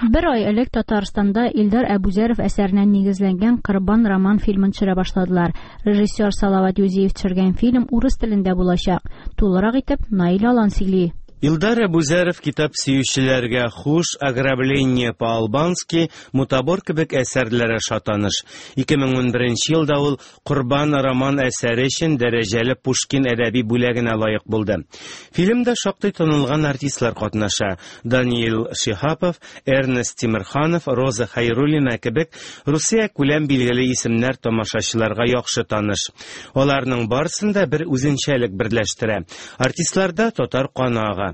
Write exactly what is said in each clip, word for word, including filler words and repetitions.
Бер ай элек Татарстанда Илдар Әбүзәров әсәренә нигезләнгән Корбан роман фильмын төшерә башладылар. Режиссер Салават Юзиев төшергән фильм урыс телендә булачак. Тулырак итеп Наил Алан сөйли. Илдар Әбүзәров китап сөючеләргә «Хуш», «Ограбление по-албански», «Мутабор» кебек әсәрләре аша таныш. ике мең унберенче елда ул «Корбан» роман әсәре өчен дәрәҗәле Пушкин әдәби бүләгенә лаек булды. Фильмда шактый танылган артистлар катнаша. Даниил Шиһапов, Эрнест Тимерханов, Роза Хәйруллина кебек Русия күләм билгеле исемнәр тамашачыларга яхшы таныш. Аларның барысын да бер үзенчәлек берләштерә. Артистларда татар каны ага.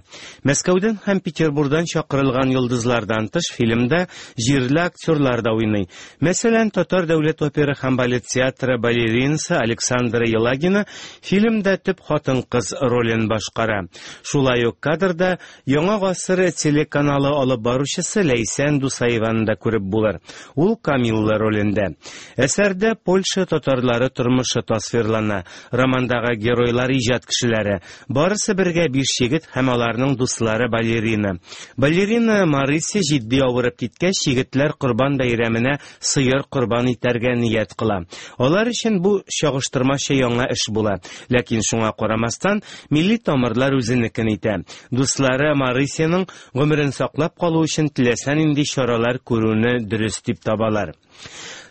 Мәскәүдән һәм Петербургдан чакырылган йолдызлардан тыш фильмда җирле актерлар да уйный. Мәсәлән, Татар дәүләт опера һәм балет театры балеринасы Александра Елагина фильмда төп хатын-кыз ролен башкара. Шулай ук кадрда Яңа гасыр телеканалы алып баручысы Ләйсән Дусаеваны да күреп булыр. Ул Камилла ролендә. Әсәрдә Польша татарлары тормышы тасвирлана. Романдагы геройлар иҗат кешеләре. Барысы бергә биш егет һәм аларның дуслары балерина. Балерина Марися җитди авырып киткәч, егетләр Корбан бәйрәменә сыер корбан итәргә ният кыла. Алар өчен бу чагыштырмача яңа эш була. Ләкин шуңа карамастан, милли тамырлар үзенекен итә. Дуслары Марисяның гомерен саклап калу өчен теләсә нинди чаралар күрүне дөрес дип табалар.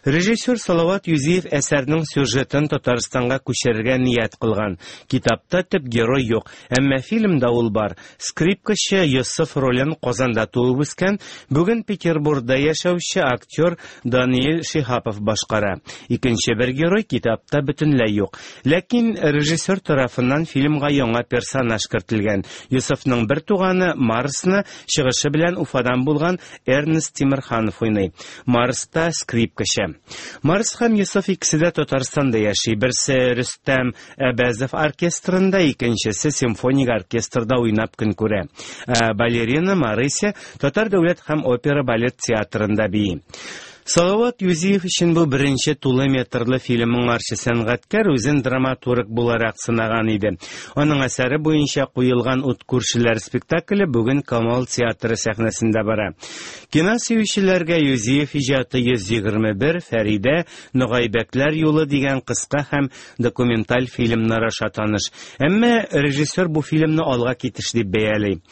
Режиссер Салават Юзиев әсәрнең сюжетын Татарстанга күчерергә ният кылган. Китапта төп герой юк, әмма фильмда ул бар. Скрипкачы Йосыф ролен Казанда туып үскән, бүген Петербургда яшәүче актер Даниил Шиһапов башкара. Икенче бер герой китапта бөтенләй юк. Ләкин режиссер тарафыннан фильмга яңа персонаж кертелгән. Йосыфның бер туганы Марсны чыгышы белән Уфадан булган Эрнест Тимерханов уйный. Марс та скрипкачы. Марс һәм Йосыф икесе дә Татарстанда яши. Берсе Рөстәм Әбәзов оркестрында, икенчесе симфоник оркестрда уйнап көн күрә. Ә балерина Марися Татар дәүләт һәм опера балет театрында бии. Салават Юзиев өчен бу беренче тулы метрлы фильм. Моңарчы сәнгатькәр үзен драматург буларак сынаган иде. Аның әсәре буенча куелган «Ут күршеләр» спектакле бүген Камал театры сәхнәсендә бара. Кино сөючеләргә Юзиев иҗаты йөз егерме бер, «Фәридә», «Ногайбәкләр юлы» дигән кыска һәм документаль фильмнар аша таныш. Әмма режиссер бу фильмны алга китеш дип бәяли.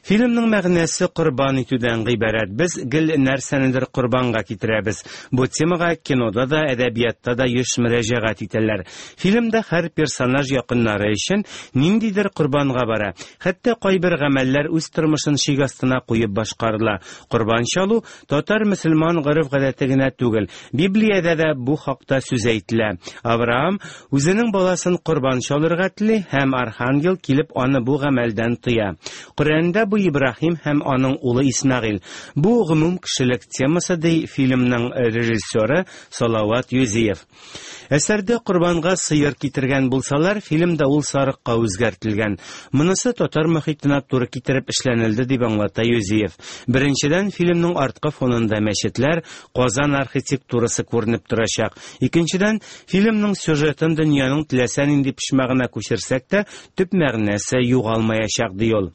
Фильмның мәгънәсе корбан итүдән гыйбарәт. Без гел нәрсәнедер корбанга китерәбез. Бу темага кинода да, әдәбиятта да еш мөрәҗәгать итәләр. Фильмда һәр персонаж якыннары өчен ниндидер корбанга бара. Хәтта кайбер гамәлләр үз тормышын шик астына куеп башкарыла. Корбан чалу татар мөселман гореф-гадәте генә түгел. Библиядә дә бу хакта сүз әйтелә. Авраам үзенең баласын корбан чалырга тели һәм архангел килеп аны бу гамәлдән тыя. Коръәндә бу Ибраһим һәм аның улы Исмәгыйль. Бу гомум кешелек темасы, ди фильмның режиссеры Салават Юзиев. Әсәрдә корбанга сыер китергән булсалар, фильмда ул сарыкка үзгәртелгән. Монысы татар мохитенә туры китереп эшләнелде, дип аңлата Юзиев. Беренчедән, фильмның арткы фонында мәчетләр, Казан архитектурасы күренеп торачак. Икенчедән, фильмның сюжетын дөньяның теләсә нинди почмагына күчерсәк тә, төп мәгънәсе югалмаячак, ди ул.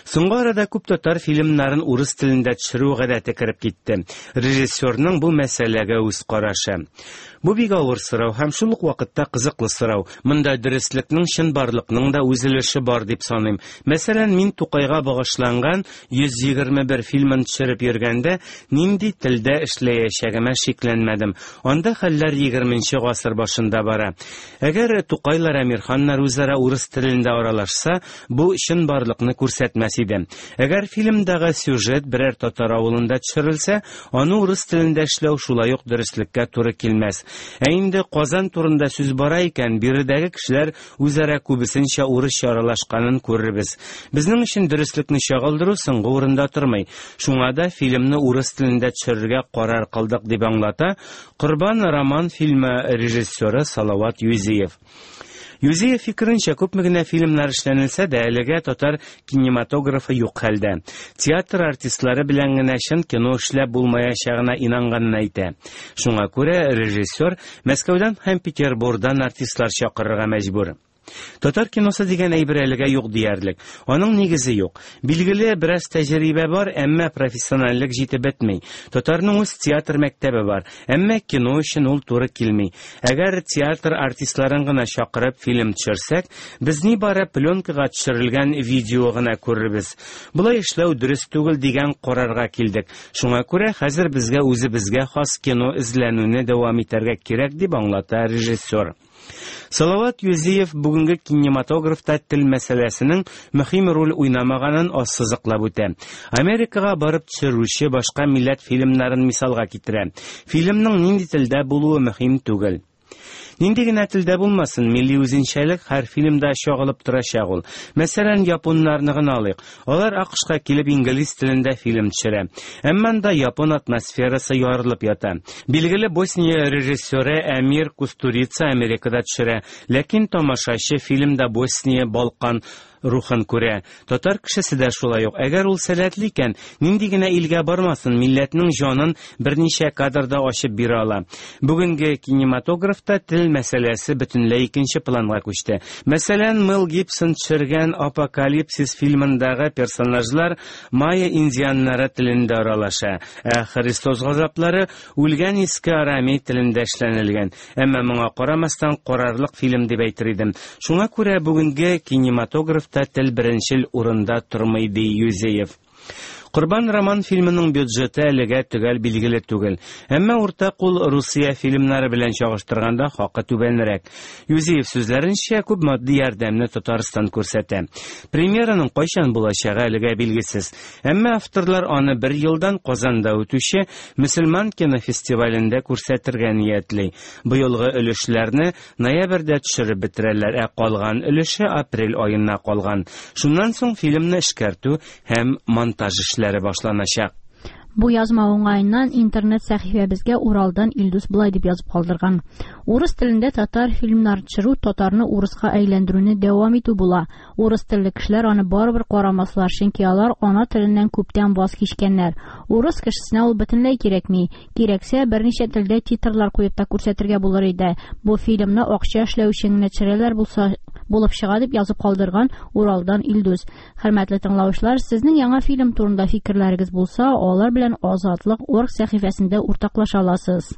Соңгы арада күп татар фильмнарын урыс телендә төшерү гадәте кереп китте. Режиссерның бу мәсьәләгә үз карашы. Бу бик авыр сорау һәм шул ук вакытта кызыклы сорау. Монда дөреслекнең, чынбарлыкның да үз өлеше бар дип саныйм. Мәсәлән, мин Тукайга багышланган йөз егерме бер фильмын төшереп йөргәндә нинди телдә эшләячәгемә шикләнмәдем. Анда хәлләр егерменче гасыр башында бара. Әгәр Тукайлар, Әмирханнар үзара урыс телендә аралашса, бу чынбарлыкны күрсәтмәс иде. Әгәр фильмдагы сюжет берәр татар авылында төшерелсә, аны урыс телендә эшләү шулай ук дөреслеккә туры килмәс. Ә инде Казан турында сүз бара икән, биредәге кешеләр үзара күбесенчә урысча аралашканын күрербез. Безнең өчен дөреслекне чагылдыру соңгы урында тормый. Шуңа да фильмны урыс телендә төшерергә карар кылдык, дип аңлата «Корбан» роман фильмы режиссеры Салават Юзиев. Юзиев фикеренчә, күпме генә фильмнар эшләнелсә дә, әлегә татар кинематографы юк хәлдә. Театр артистлары белән генә чын кино эшләп булмаячагына инанганын әйтә. Шуңа күрә режиссер Мәскәүдән һәм Петербургдан артистлар чакырырга мәҗбүр. Татар киносы дигән әйбер әлегә юк диярлек. Аның нигезе юк. Билгеле, бераз тәҗрибә бар, әмма профессиональлек җитеп бетми. Татарның үз театр мәктәбе бар, әмма кино өчен ул туры килми. Әгәр театр артистларын гына чакырып фильм төшерсәк, без нибары пленкага төшерелгән видео гына күрербез. Болай эшләү дөрес түгел дигән карарга килдек. Шуңа күрә хәзер безгә үзебезгә хас кино эзләнүне дәвам итәргә кирәк, дип аңлата режиссер. Салават Юзиев бүгенге кинематографта тел мәсьәләсенең мөһим роль уйнамаганын ассызыклап үтә. Америкага барып төшерүче башка милләт фильмнарын мисалга китерә. Фильмның нинди телдә булуы мөһим түгел. Нинди генә телдә булмасын, милли үзенчәлек һәр фильмда чагылып торачак ул. Мәсәлән, японнарны гына алыйк. Алар АКШка килеп инглиз телендә фильм төшерә. Әмма анда япон атмосферасы ярылып ята. Билгеле Босния режиссеры Әмир Кустурица Америкада төшерә, ләкин тамашачы фильмда Босния, Балкан рухын күрә. Татар кешесе дә шулай ук. Әгәр ул сәләтле икән, нинди генә илгә бармасын, милләтнең җанын берничә кадрда ачып бирә ала. Бүгенге кинематографта тел мәсьәләсе бөтенләй икенче планга күчте. Мәсәлән, Мел Гибсон төшергән Апокалипсис фильмындагы персонажлар майя индианнары телендә аралаша, ә Христос газаплары үлгән иске арамей телендә эшләнелгән. Әмма моңа карамастан карарлык фильм дип әйтер идем. Шуңа күрә бүгенге кинематографта тел беренчел урында тормый, ди Юзеев. Корбан роман фильмының бюджеты әлегә төгәл билгеле түгел. Әмма урта кул Русия фильмнары белән чагыштырганда хакы түбәнрәк. Юзеев сүзләренчә, күп матди ярдәмне Татарстан күрсәтә. Премьераның кайчан булачагы әлегә билгесез. Әмма авторлар аны бер елдан Казанда үтүче мөселман кинофестивалендә күрсәтергә ниятли. Быелгы өлешләрне ноябрьдә төшереп бетерәләр, ә калган өлеше апрель аена калган. Шуннан соң фильмны эшкәртү һәм монтаж эшләре башланачак. Бу язма уңаеннан интернет сәхифәбезгә Уралдан Илдус былай дип язып калдырган. Урыс телендә татар фильмнар төшерү татарны урыска әйләндерүне дәвам итү була. Урыс телле кешеләр аны барыбер карамаслар, чөнки алар ана теленнән күптән ваз кичкәннәр. Урыс кешесенә ул бөтенләй кирәкми. Кирәксә, берничә телдә титрлар куеп та күрсәтергә булыр иде. Бу фильмны акча эшләү өчен генә төшерәләр булса булып чыга, дип язып калдырган Уралдан Илдус. Хөрмәтле тыңлаучылар, сезнең яңа фильм турында фикерләрегез булса, алар белән Азатлык орг сәхифәсендә уртаклаша аласыз.